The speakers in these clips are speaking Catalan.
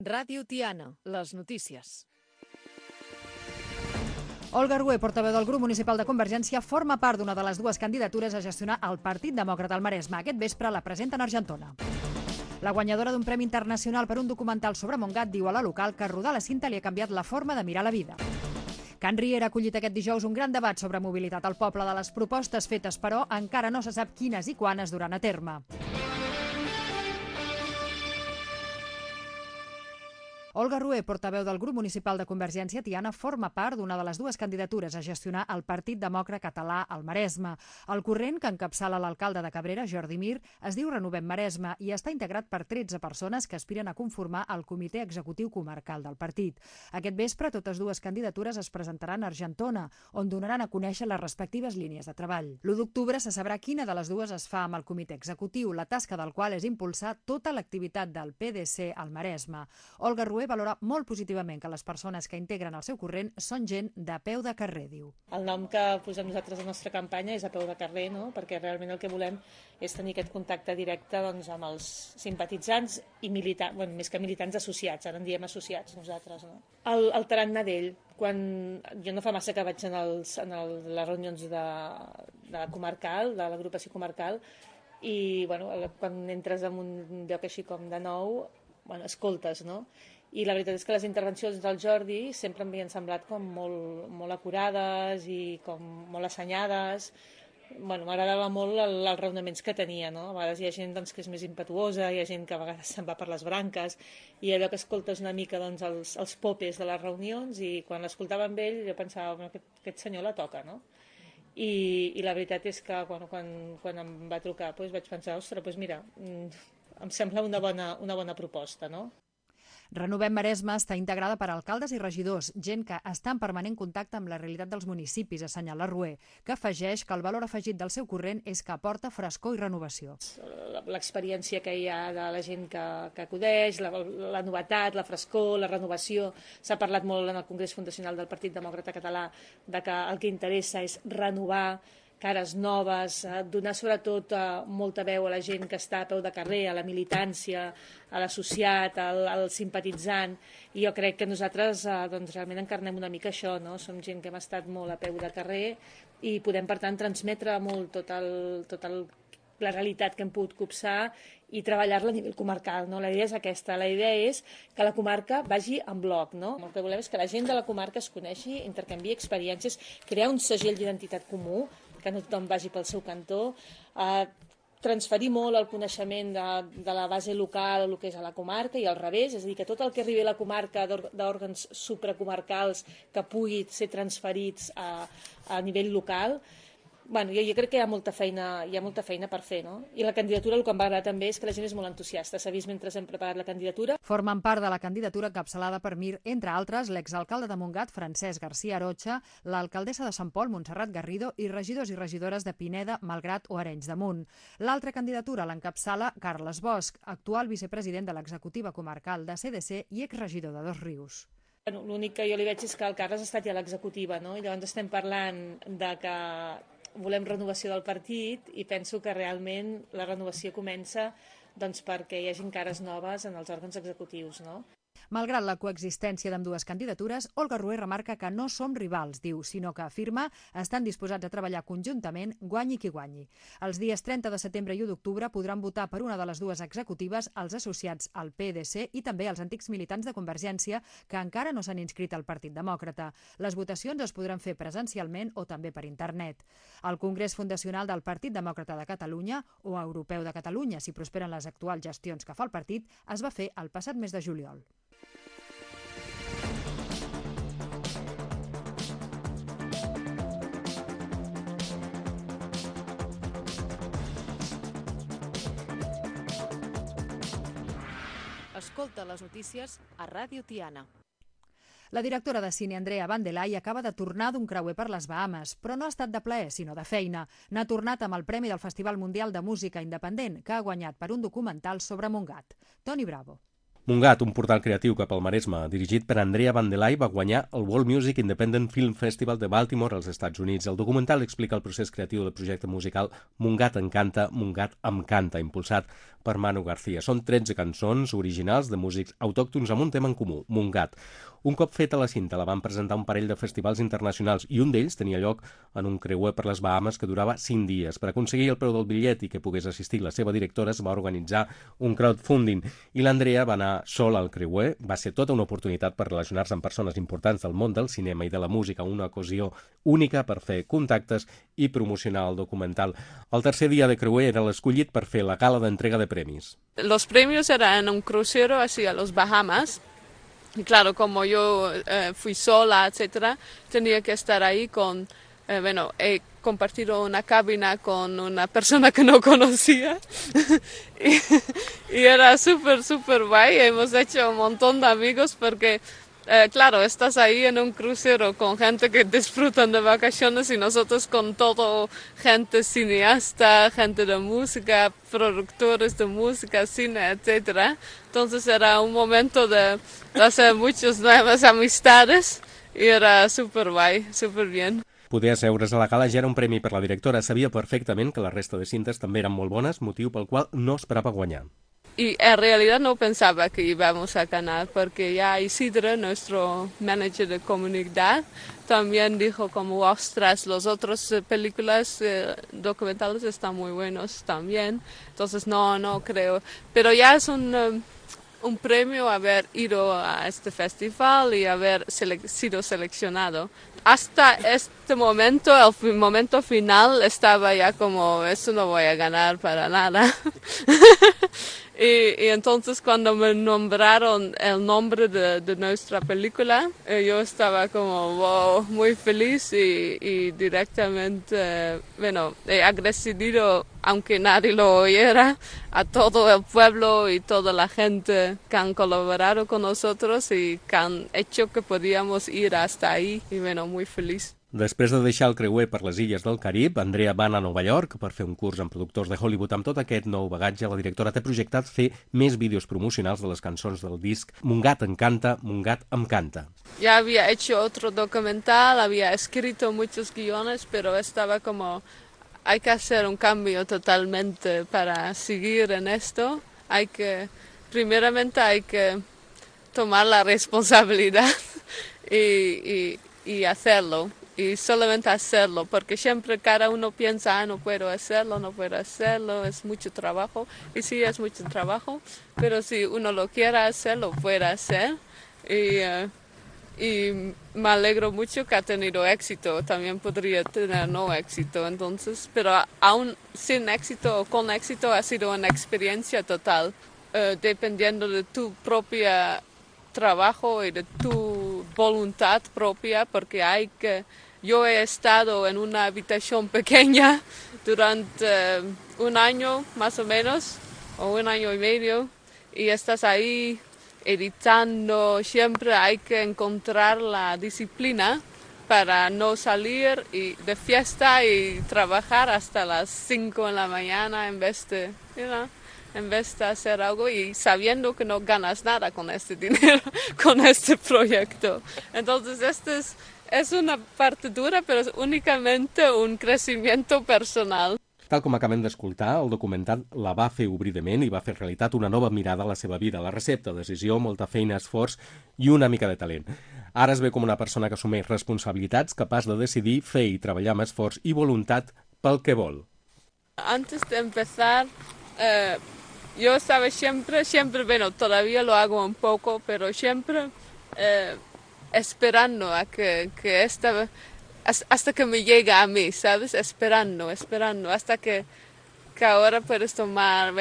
Ràdio Tiana, les notícies. Olga Rué, portaveu del grup municipal de Convergència, forma part d'una de les dues candidatures a gestionar el Partit Demòcrata al Maresme. Aquest vespre la presenten a Argentona. La guanyadora d'un premi internacional per un documental sobre Montgat diu a la local que rodar la cinta li ha canviat la forma de mirar la vida. Can Riera ha acollit aquest dijous un gran debat sobre mobilitat al poble. De les propostes fetes, però, encara no se sap quines i quan es duran a terme. Olga Rué, portaveu del grup municipal de Convergència Tiana, forma part d'una de les dues candidatures a gestionar el Partit Demòcrata Català al Maresme. El corrent, que encapçala l'alcalde de Cabrera, Jordi Mir, es diu Renovem Maresme i està integrat per 13 persones que aspiren a conformar el comitè executiu comarcal del partit. Aquest vespre, totes dues candidatures es presentaran a Argentona, on donaran a conèixer les respectives línies de treball. L'1 d'octubre se sabrà quina de les dues es fa amb el comitè executiu, la tasca del qual és impulsar tota l'activitat del PDC al Maresme. Olga Rué valora molt positivament que les persones que integren el seu corrent són gent de peu de carrer, diu. El nom que posem nosaltres a la nostra campanya és a peu de carrer, no? Perquè realment el que volem és tenir aquest contacte directe amb els simpatitzants i militants, bueno, més que militants associats, ara en diem associats nosaltres. No? El tarannà d'ell, quan jo no fa massa que vaig les reunions de comarcal, de l'agrupació comarcal, i bueno, quan entres en un lloc així com de nou, bueno, escoltes, no? I la veritat és que les intervencions del Jordi sempre m'havien semblat com molt acurades i com molt assenyades. Bueno, m'agradava molt els raonaments que tenia, no? A vegades hi ha gent que és més impetuosa, hi ha gent que a vegades se'n va per les branques, i allò que escoltes una mica els popes de les reunions, i quan l'escoltava amb ell jo pensava, bueno, aquest senyor la toca, no? I la veritat és que quan em va trucar vaig pensar, ostres, mira, em sembla una bona proposta, no? Renovem Maresme està integrada per alcaldes i regidors, gent que està en permanent contacte amb la realitat dels municipis, assenyala Rué, que afegeix que el valor afegit del seu corrent és que aporta frescor i renovació. L'experiència que hi ha de la gent que acudeix, la novetat, la frescor, la renovació. S'ha parlat molt en el Congrés Fundacional del Partit Demòcrata Català de que el que interessa és renovar, cares noves, donar sobretot molta veu a la gent que està a peu de carrer, a la militància, a l'associat, al simpatitzant, i jo crec que nosaltres realment encarnem una mica això, no? Som gent que hem estat molt a peu de carrer i podem, per tant, transmetre molt la realitat que hem pogut copsar i treballar-la a nivell comarcal, no? La idea és aquesta, la idea és que la comarca vagi en bloc, no? El que volem és que la gent de la comarca es coneixi, intercanviï experiències, crear un segell d'identitat comú, que no tothom vagi pel seu cantó, transferir molt el coneixement de la base local a el que és a la comarca i al revés, és a dir, que tot el que arribi a la comarca d'òrgans supracomarcals que pugui ser transferits a nivell local. Bueno, jo crec que hi ha molta feina per fer, no? I la candidatura, el que em va agradar també és que la gent és molt entusiasta. S'ha vist mentre hem preparat la candidatura. Formen part de la candidatura encapçalada per Mir, entre altres, l'exalcalde de Montgat, Francesc García Arocha, l'alcaldessa de Sant Pol, Montserrat Garrido, i regidors i regidores de Pineda, Malgrat o Arenys de Munt. L'altra candidatura l'encapçala Carles Bosch, actual vicepresident de l'executiva comarcal de CDC i exregidor de Dosrius. Bueno, l'únic que jo li veig és que el Carles ha estat ja a l'executiva, no? I llavors estem parlant de que volem renovació del partit i penso que realment la renovació comença perquè hi hagi cares noves en els òrgans executius, no? Malgrat la coexistència d'ambdues candidatures, Olga Rué remarca que no som rivals, diu, sinó que afirma estan disposats a treballar conjuntament, guanyi qui guanyi. Els dies 30 de setembre i 1 d'octubre podran votar per una de les dues executives els associats al PDC i també els antics militants de Convergència que encara no s'han inscrit al Partit Demòcrata. Les votacions es podran fer presencialment o també per internet. El Congrés Fundacional del Partit Demòcrata de Catalunya, o Europeu de Catalunya, si prosperen les actuals gestions que fa el partit, es va fer el passat mes de juliol. Escolta les notícies a Ràdio Tiana. La directora de cine Andrea Vandelay acaba de tornar d'un creuer per les Bahames, però no ha estat de plaer, sinó de feina. N'ha tornat amb el Premi del Festival Mundial de Música Independent, que ha guanyat per un documental sobre Montgat. Toni Bravo. Mungat, un portal creatiu cap al Maresme, dirigit per Andrea Vandelay, va guanyar el World Music Independent Film Festival de Baltimore als Estats Units. El documental explica el procés creatiu del projecte musical Mungat Encanta, Mungat em canta, impulsat per Manu García. Són 13 cançons originals de músics autòctons amb un tema en comú, Mungat. Un cop feta la cinta, la van presentar un parell de festivals internacionals i un d'ells tenia lloc en un creuer per les Bahamas que durava 5 dies. Per aconseguir el preu del bitllet i que pogués assistir la seva directora, es va organitzar un crowdfunding i l'Andrea va anar sola al creuer. Va ser tota una oportunitat per relacionar-se amb persones importants del món del cinema i de la música, una ocasió única per fer contactes i promocionar el documental. El tercer dia de creuer era l'escollit per fer la gala d'entrega de premis. Los premios eran un crucero hacia los Bahamas. Y claro, como yo fui sola, etcétera, tenía que estar ahí con, he compartido una cabina con una persona que no conocía y era súper guay. Hemos hecho un montón de amigos porque, claro, estás ahí en un crucero con gente que disfrutan de vacaciones y nosotros con todo, gente cineasta, gente de música, productores de música, cine, etcétera. Entonces era un momento de hacer muchas nuevas amistades y era súper guay, súper bien. Poder asseure's a la gala ja era un premi per la directora. Sabia perfectament que la resta de cintes també eren molt bones, motiu pel qual no esperava guanyar. Y en realidad no pensaba que íbamos a ganar porque ya Isidro, nuestro manager de comunidad, también dijo como, ostras, las otras películas documentales están muy buenos también. Entonces no creo. Pero ya es un premio haber ido a este festival y haber sido seleccionado. Hasta este momento, el momento final, estaba ya como, eso no voy a ganar para nada. Y entonces cuando me nombraron el nombre de nuestra película, yo estaba como, wow, muy feliz y directamente, he agradecido, aunque nadie lo oyera, a todo el pueblo y toda la gente que han colaborado con nosotros y que han hecho que podíamos ir hasta ahí y muy feliz. Després de deixar el creuer per les illes del Carib, Andrea va anar a Nova York per fer un curs amb productors de Hollywood. Amb tot aquest nou bagatge, la directora té projectat fer més vídeos promocionals de les cançons del disc Mungat Encanta, Mungat em canta. Ya había hecho otro documental, había escrito muchos guiones, pero estaba como, hay que hacer un cambio totalmente para seguir en esto. Primeramente hay que tomar la responsabilidad y hacerlo. Y solamente hacerlo, porque siempre cada uno piensa, no puedo hacerlo, es mucho trabajo. Y sí, es mucho trabajo, pero si uno lo quiere hacer, lo puede hacer. Y me alegro mucho que ha tenido éxito, también podría tener no éxito, entonces, pero aún sin éxito o con éxito ha sido una experiencia total, dependiendo de tu propia trabajo y de tu voluntad propia, porque yo he estado en una habitación pequeña durante un año más o menos, o un año y medio, y estás ahí editando. Siempre hay que encontrar la disciplina para no salir de fiesta y trabajar hasta las 5 de la mañana en vez de hacer algo y sabiendo que no ganas nada con este dinero, con este proyecto. Entonces es una parte dura, pero es únicamente un crecimiento personal. Tal com acabem d'escoltar, el documental la va fer obrir de ment i va fer realitat una nova mirada a la seva vida. La recepta, decisió, molta feina, esforç i una mica de talent. Ara es ve com una persona que assumeix responsabilitats, capaç de decidir, fer i treballar amb esforç i voluntat pel que vol. Antes de empezar, yo estaba siempre, todavía lo hago un poco, pero siempre esperando a que hasta que me llega a mí, ¿sabes? Esperando, hasta que ahora puedes tomar,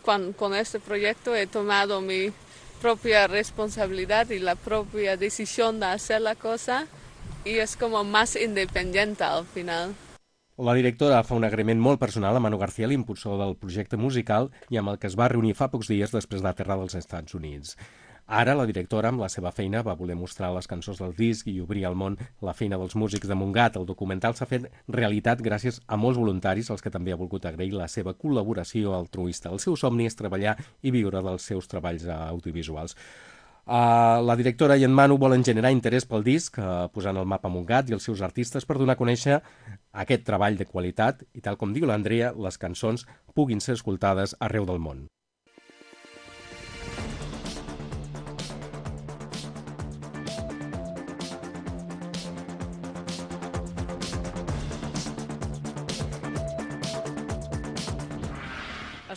con este proyecto he tomado mi propia responsabilidad y la propia decisión de hacer la cosa y es como más independiente al final. La directora fa un agraïment molt personal a Manu García, l'impulsor del projecte musical i amb el que es va reunir fa pocs dies després d'aterrar dels Estats Units. Ara la directora, amb la seva feina, va voler mostrar les cançons del disc i obrir al món la feina dels músics de Montgat. El documental s'ha fet realitat gràcies a molts voluntaris, als que també ha volgut agrair la seva col·laboració altruista. El seu somni és treballar i viure dels seus treballs audiovisuals. La directora i en Manu volen generar interès pel disc, posant el mapa Montgat i els seus artistes per donar a conèixer aquest treball de qualitat i, tal com diu l'Andrea, les cançons puguin ser escoltades arreu del món.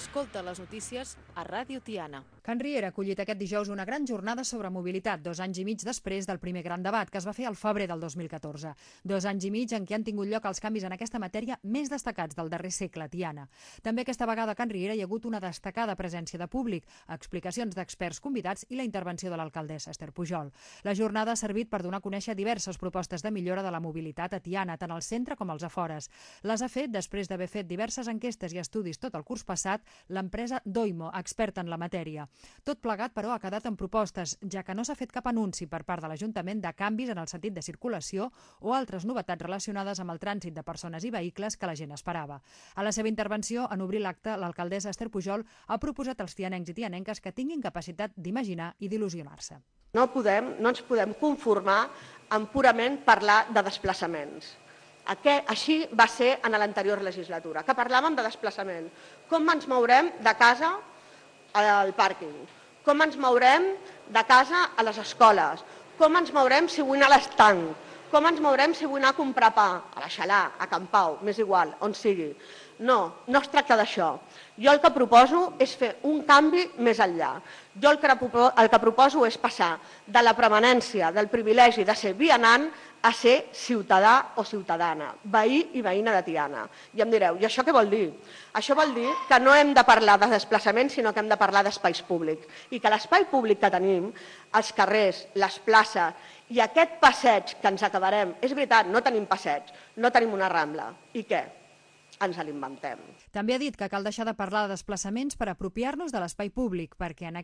Escolta les notícies a Ràdio Tiana. Can Riera ha acollit aquest dijous una gran jornada sobre mobilitat, 2 anys i mig després del primer gran debat, que es va fer al febrer del 2014. 2 anys i mig en què han tingut lloc els canvis en aquesta matèria més destacats del darrer segle a Tiana. També aquesta vegada a Can Riera hi ha hagut una destacada presència de públic, explicacions d'experts convidats i la intervenció de l'alcaldessa Esther Pujol. La jornada ha servit per donar a conèixer diverses propostes de millora de la mobilitat a Tiana, tant al centre com als afores. Les ha fet després d'haver fet diverses enquestes i estudis tot el curs passat l'empresa Doimo, experta en la matèria. Tot plegat, però, ha quedat en propostes, ja que no s'ha fet cap anunci per part de l'Ajuntament de canvis en el sentit de circulació o altres novetats relacionades amb el trànsit de persones i vehicles que la gent esperava. A la seva intervenció, en obrir l'acte, l'alcaldessa Esther Pujol ha proposat als tianencs i tianenques que tinguin capacitat d'imaginar i d'il·lusionar-se. No ens podem conformar amb purament parlar de desplaçaments. Així va ser en l'anterior legislatura, que parlàvem de desplaçament. Com ens mourem de casa al pàrquing? Com ens mourem de casa a les escoles? Com ens mourem si vull anar a l'estanc? Com ens mourem si vull anar a comprar pa? A la Xalà, a Can Pau, m'és igual, on sigui. No es tracta d'això. Jo el que proposo és fer un canvi més enllà. Jo el que proposo és passar de la permanència, del privilegi de ser vianant, a ser ciutadà o ciutadana, veí i veïna de Tiana. I em direu, i això què vol dir? Això vol dir que no hem de parlar de desplaçaments, sinó que hem de parlar d'espais públics. I que l'espai públic que tenim, els carrers, les places i aquest passeig que ens acabarem, és veritat, no tenim passeig, no tenim una rambla. I què? Ens l'inventem. També ha dit que cal deixar de parlar de desplaçaments per apropiar-nos de l'espai públic, perquè en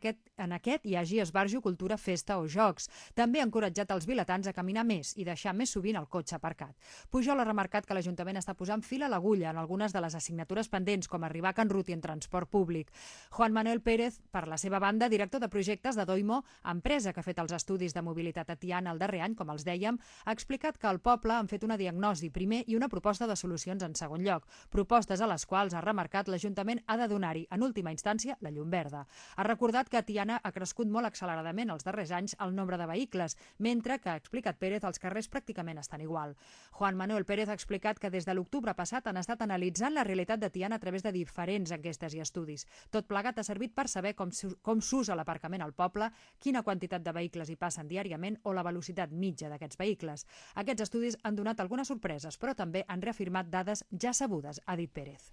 aquest hi hagi esbarjo, cultura, festa o jocs. També ha encoratjat els vilatans a caminar més i deixar més sovint el cotxe aparcat. Pujol ha remarcat que l'Ajuntament està posant fil a l'agulla en algunes de les assignatures pendents, com arribar a Can Ruti en transport públic. Juan Manuel Pérez, per la seva banda, director de projectes de Doimo, empresa que ha fet els estudis de mobilitat a Tiana el darrer any, com els dèiem, ha explicat que al poble han fet una diagnosi primer i una proposta de solucions en segon lloc. Propostes a les quals, ha remarcat, l'Ajuntament ha de donar-hi, en última instància, la llum verda. Ha recordat que a Tiana ha crescut molt acceleradament els darrers anys el nombre de vehicles, mentre que, ha explicat Pérez, els carrers pràcticament estan igual. Juan Manuel Pérez ha explicat que des de l'octubre passat han estat analitzant la realitat de Tiana a través de diferents enquestes i estudis. Tot plegat ha servit per saber com s'usa l'aparcament al poble, quina quantitat de vehicles hi passen diàriament o la velocitat mitja d'aquests vehicles. Aquests estudis han donat algunes sorpreses, però també han reafirmat dades ja sabudes, ha dit Pérez.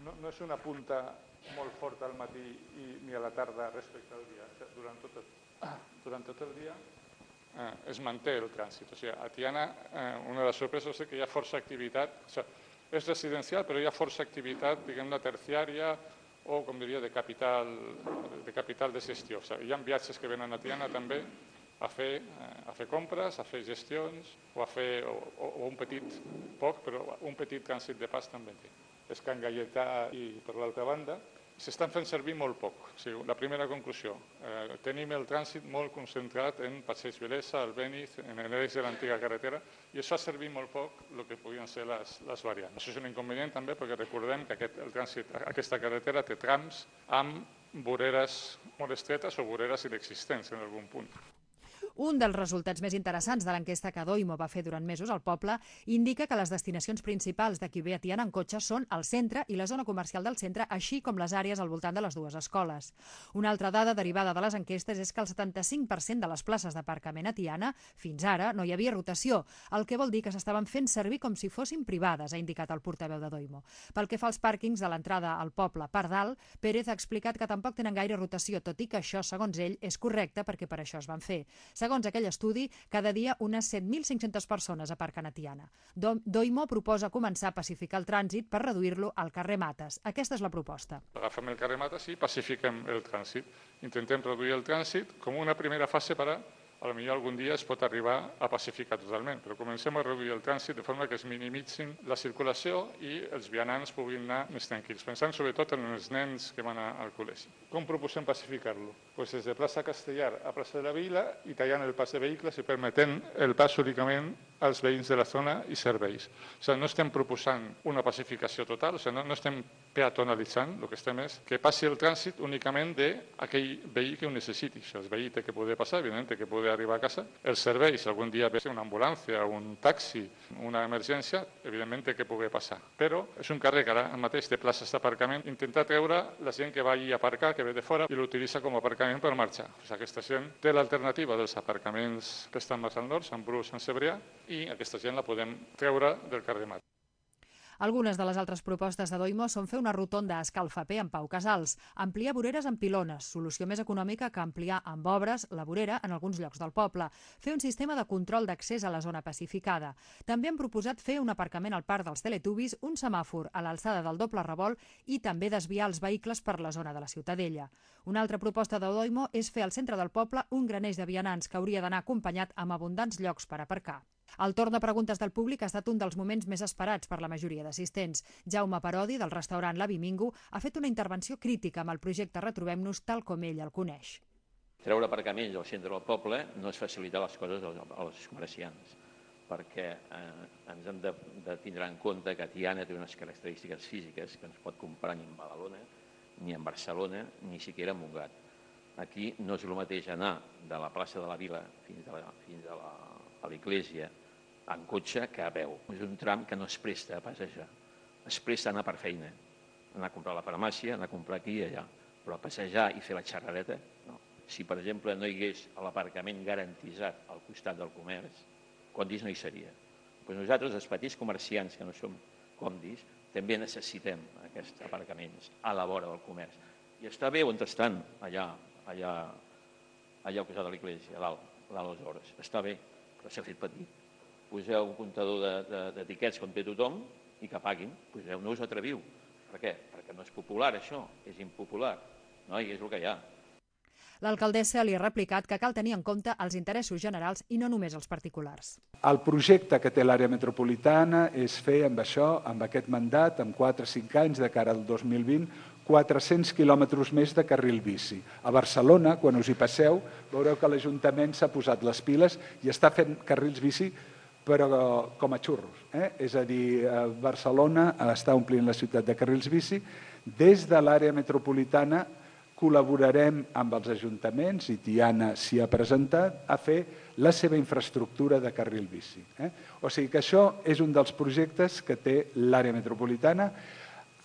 No és una punta molt forta al matí ni a la tarda respecte al dia. Durant tot el dia es manté el trànsit. O sigui, a Tiana una de les sorpreses és que hi ha força activitat. O sigui, és residencial, però hi ha força activitat, diguem-ne, terciària o, com diria, de capital de gestió. O sigui, hi ha viatges que venen a Tiana també a fer compres, a fer gestions o un petit, poc, però un petit trànsit de pas també té. És Can Gaietà i, per l'altra banda, s'estan fent servir molt poc. O sigui, la primera conclusió, tenim el trànsit molt concentrat en Passeig Vilesa, el Béniz, en l'eix de l'antiga carretera, i això ha servit molt poc el que podien ser les variants. Això és un inconvenient també perquè recordem que aquesta carretera té trams amb voreres molt estretes o voreres inexistents en algun punt. Un dels resultats més interessants de l'enquesta que Doimo va fer durant mesos al poble indica que les destinacions principals de qui ve a Tiana en cotxe són el centre i la zona comercial del centre, així com les àrees al voltant de les dues escoles. Una altra dada derivada de les enquestes és que el 75% de les places d'aparcament a Tiana fins ara no hi havia rotació, el que vol dir que s'estaven fent servir com si fossin privades, ha indicat el portaveu de Doimo. Pel que fa als pàrquings de l'entrada al poble per dalt, Pérez ha explicat que tampoc tenen gaire rotació, tot i que això, segons ell, és correcte perquè per això es van fer. S'ha Segons aquell estudi, cada dia unes 7.500 persones aparquen a Tiana. Doimo proposa començar a pacificar el trànsit per reduir-lo al carrer Mates. Aquesta és la proposta. Agafem el carrer Mates i pacifiquem el trànsit. Intentem reduir el trànsit com una primera fase per a potser algun dia es pot arribar a pacificar totalment, però comencem a reduir el trànsit de forma que es minimitzin la circulació i els vianants puguin anar més tranquils, pensant sobretot en els nens que van al col·legi. Com proposem pacificar-lo? Pues des de plaça Castellar a plaça de la Vila i tallant el pas de vehicles i permetent el pas únicament als veïns de la zona i serveis. O sigui, no estem proposant una pacificació total, o sigui, no estem peatonalitzant, el que estem és que passi el trànsit únicament d'aquell veí que ho necessiti. O sigui, el veí té que poder passar, evidentment té que poder arribar a casa. Els serveis, si algun dia ve una ambulància, un taxi, una emergència, evidentment té que poder passar. Però és un carrer que ara mateix té places d'aparcament, intentar treure la gent que vagi a aparcar, que ve de fora, i l'utilitza com a aparcament per marxar. O sigui, aquesta gent té l'alternativa dels aparcaments que estan més al nord, Sant Bru, Sant Cebrià, i aquesta gent la podem treure del carrer Mat. Algunes de les altres propostes de Doimo són fer una rotonda a escalfaper amb Pau Casals, ampliar voreres amb pilones, solució més econòmica que ampliar amb obres la vorera en alguns llocs del poble, fer un sistema de control d'accés a la zona pacificada. També han proposat fer un aparcament al parc dels Teletubbies, un semàfor a l'alçada del doble revolt i també desviar els vehicles per la zona de la Ciutadella. Una altra proposta de Doimo és fer al centre del poble un graneix de vianants que hauria d'anar acompanyat amb abundants llocs per aparcar. El torn de preguntes del públic ha estat un dels moments més esperats per la majoria d'assistents. Jaume Parodi, del restaurant La Bimingo, ha fet una intervenció crítica amb el projecte Retrobem-nos tal com ell el coneix. Treure aparcaments al centre del poble no és facilitar les coses als comerciants, perquè ens hem de tindre en compte que Tiana té unes característiques físiques que no es pot comparar ni amb Badalona, ni amb Barcelona, ni siquiera amb Montgat. Aquí no és el mateix anar de la plaça de la Vila fins a l'església en cotxe que a peu. És un tram que no es presta a passejar, es presta a anar per feina, anar a comprar a la farmàcia, anar a comprar aquí i allà, però a passejar i fer la xerrareta, no. Si, per exemple, no hi hagués l'aparcament garantitzat al costat del comerç, condis no hi seria. Doncs nosaltres, els petits comerciants que no som condis, també necessitem aquests aparcaments a la vora del comerç. I està bé on estan, allà al costat de l'església, a dalt les hores. Està bé, però s'ha fet petit. Poseu un comptador d'etiquets com té tothom i que paguin. Poseu, no us atreviu. Per què? Perquè no és popular, això. És impopular. No? I és el que hi ha. L'alcaldessa li ha replicat que cal tenir en compte els interessos generals i no només els particulars. El projecte que té l'àrea metropolitana és fer amb això, amb aquest mandat, amb 4 o 5 anys de cara al 2020, 400 quilòmetres més de carril bici. A Barcelona, quan us hi passeu, veureu que l'Ajuntament s'ha posat les piles i està fent carrils bici però com a xurros. És a dir, Barcelona està omplint la ciutat de carrils bici. Des de l'àrea metropolitana col·laborarem amb els ajuntaments, i Tiana s'hi ha presentat, a fer la seva infraestructura de carril bici. O sigui que això és un dels projectes que té l'àrea metropolitana,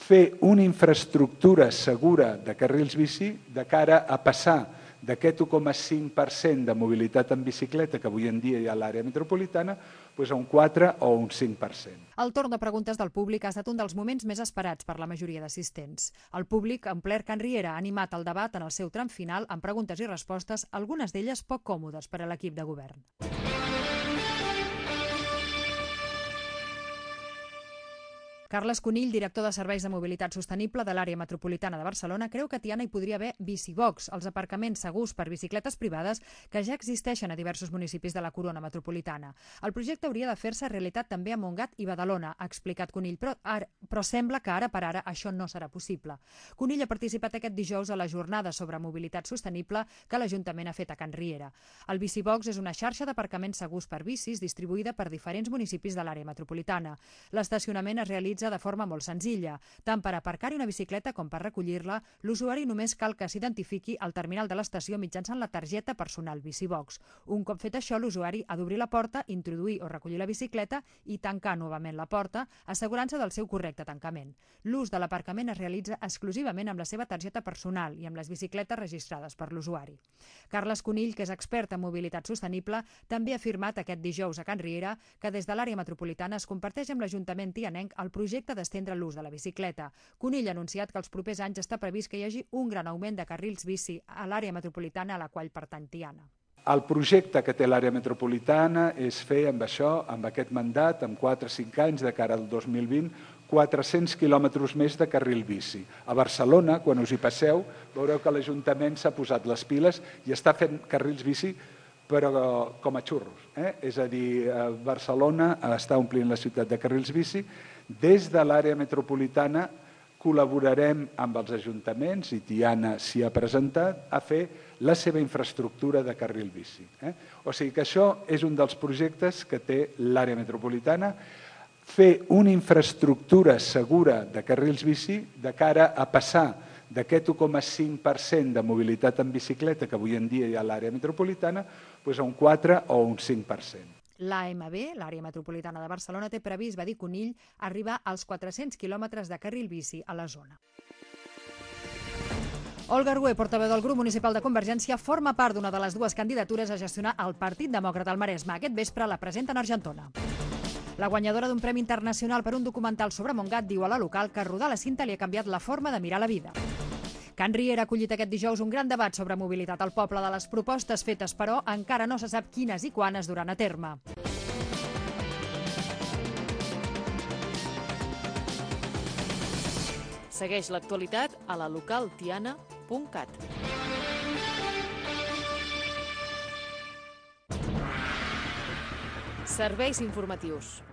fer una infraestructura segura de carrils bici de cara a passar d'aquest 1,5% de mobilitat en bicicleta que avui en dia hi ha a l'àrea metropolitana a un 4 o un 5%. El torn de preguntes del públic ha estat un dels moments més esperats per la majoria d'assistents. El públic, en ple Can Riera, ha animat el debat en el seu tram final amb preguntes i respostes, algunes d'elles poc còmodes per a l'equip de govern. Carles Conill, director de Serveis de Mobilitat Sostenible de l'àrea metropolitana de Barcelona, creu que a Tiana hi podria haver bicibox, els aparcaments segurs per bicicletes privades que ja existeixen a diversos municipis de la corona metropolitana. El projecte hauria de fer-se realitat també a Montgat i Badalona, ha explicat Conill, però sembla que ara per ara això no serà possible. Conill ha participat aquest dijous a la jornada sobre mobilitat sostenible que l'Ajuntament ha fet a Can Riera. El bicibox és una xarxa d'aparcaments segurs per bicis distribuïda per diferents municipis de l'àrea metropolitana. L'estacionament es realitza de forma molt senzilla. Tant per aparcar-hi una bicicleta com per recollir-la, l'usuari només cal que s'identifiqui al terminal de l'estació mitjançant la targeta personal Bicibox. Un cop fet això, l'usuari ha d'obrir la porta, introduir o recollir la bicicleta i tancar novament la porta, assegurant-se del seu correcte tancament. L'ús de l'aparcament es realitza exclusivament amb la seva targeta personal i amb les bicicletes registrades per l'usuari. Carles Conill, que és expert en mobilitat sostenible, també ha afirmat aquest dijous a Can Riera que des de l'àrea metropolitana es comparteix amb l'Ajuntament tianenc el projecte d'estendre l'ús de la bicicleta. Conill ha anunciat que els propers anys està previst que hi hagi un gran augment de carrils bici a l'àrea metropolitana a la qual pertany Tiana. El projecte que té l'àrea metropolitana és fer amb això, amb aquest mandat, en 4 o 5 anys, de cara al 2020, 400 quilòmetres més de carril bici. A Barcelona, quan us hi passeu, veureu que l'Ajuntament s'ha posat les piles i està fent carrils bici, però com a xurros. És a dir, Barcelona està omplint la ciutat de carrils bici. Des de l'àrea metropolitana col·laborarem amb els ajuntaments, i Tiana s'hi ha presentat, a fer la seva infraestructura de carril bici. O sigui que això és un dels projectes que té l'àrea metropolitana, fer una infraestructura segura de carrils bici de cara a passar d'aquest 1,5% de mobilitat en bicicleta que avui en dia hi ha a l'àrea metropolitana a un 4 o un 5%. L'AMB, l'àrea metropolitana de Barcelona, té previst, va dir Conill, arribar als 400 quilòmetres de carril bici a la zona. Olga Rué, portaveu del grup municipal de Convergència, forma part d'una de les dues candidatures a gestionar el Partit Demòcrata al Maresme. Aquest vespre la presenten a Argentona. La guanyadora d'un premi internacional per un documental sobre Montgat diu a la local que rodar la cinta li ha canviat la forma de mirar la vida. Can Riera ha acollit aquest dijous un gran debat sobre mobilitat al poble. De les propostes fetes, però, encara no se sap quines i quan es duran a terme. Segueix l'actualitat a la localtiana.cat. Serveis informatius.